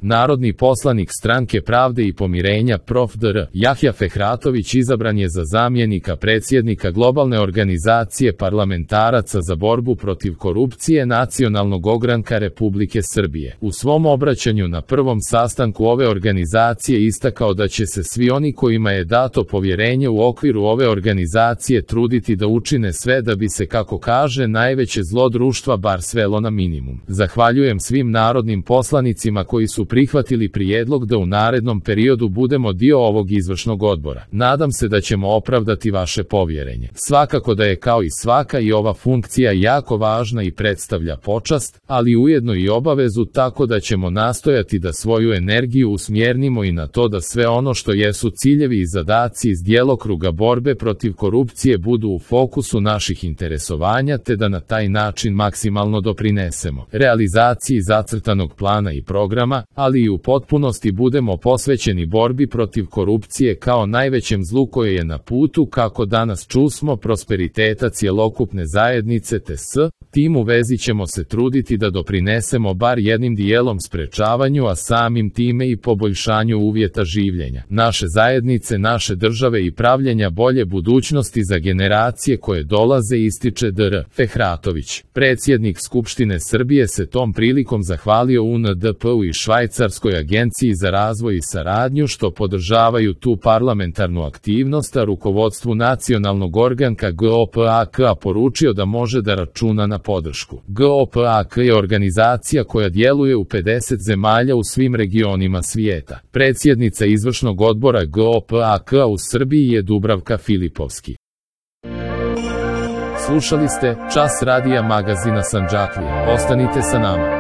Narodni poslanik Stranke pravde i pomirenja prof. dr. Jahja Fehratović izabran je za zamjenika predsjednika globalne organizacije parlamentaraca za borbu protiv korupcije Nacionalnog ogranka Republike Srbije. U svom obraćanju na prvom sastanku ove organizacije istakao da će se svi oni kojima je dato povjerenje u okviru ove organizacije truditi da učine sve da bi se, kako kaže, najveće zlo društva bar svelo na minimum. Zahvaljujem svim narodnim poslanicima koji su prihvatili prijedlog da u narednom periodu budemo dio ovog izvršnog odbora. Nadam se da ćemo opravdati vaše povjerenje. Svakako da je kao i svaka i ova funkcija jako važna i predstavlja počast, ali ujedno i obavezu, tako da ćemo nastojati da svoju energiju usmjernimo i na to da sve ono što jesu ciljevi i zadaci iz djelokruga borbe protiv korupcije budu u fokusu naših interesovanja, te da na taj način maksimalno doprinesemo realizaciji zacrtanog plana i programa, ali i u potpunosti budemo posvećeni borbi protiv korupcije kao najvećem zlu koje je na putu, kako danas čusmo, prosperiteta cjelokupne zajednice, te s tim u vezi ćemo se truditi da doprinesemo bar jednim dijelom sprečavanju, a samim time i poboljšanju uvjeta življenja naše zajednice, naše države i pravljenja bolje budućnosti za generacije koje dolaze, ističe dr. Fehratović. Predsjednik Skupštine Srbije se tom prilikom zahvalio UNDP-u i Švajcarskoj agenciji za razvoj i saradnju što podržavaju tu parlamentarnu aktivnost, a rukovodstvu Nacionalnog organka GOPAK poručio da može da računa na podršku. GOPAK je organizacija koja djeluje u 50 zemalja u svim regionima svijeta. Predsjednica izvršnog odbora GOPAK u Srbiji je Dubravka Filipovski. Slušali ste Čas radija magazina Sandžaklije. Ostanite sa nama.